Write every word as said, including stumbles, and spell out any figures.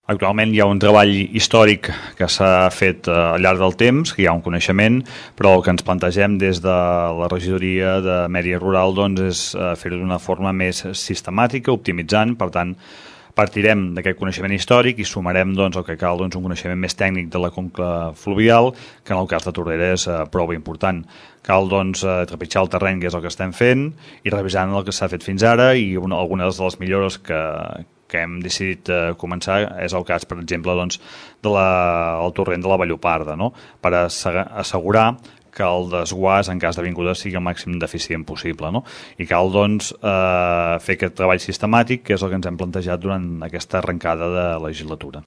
Actualment hi ha un treball històric que s'ha fet al llarg del temps, que hi ha un coneixement, però el que ens plantegem des de la regidoria de Medi Rural doncs, és fer-ho d'una forma més sistemàtica, optimitzant. Per tant, partirem d'aquest coneixement històric i sumarem doncs, el que cal doncs, un coneixement més tècnic de la conca fluvial, que en el cas de Tordera és eh, prou important. Cal doncs, trepitjar el terreny, que és el que estem fent, i revisant el que s'ha fet fins ara, i una, algunes de les millores que, que hem decidit eh, començar és el cas, per exemple, doncs, de la, el torrent de la Valloparda, no? Per assegurar que el desguàs en cas d'avinguda sigui el màxim d'eficient possible, no? I cal doncs, eh, fer aquest treball sistemàtic, que és el que ens hem plantejat durant aquesta arrencada de legislatura.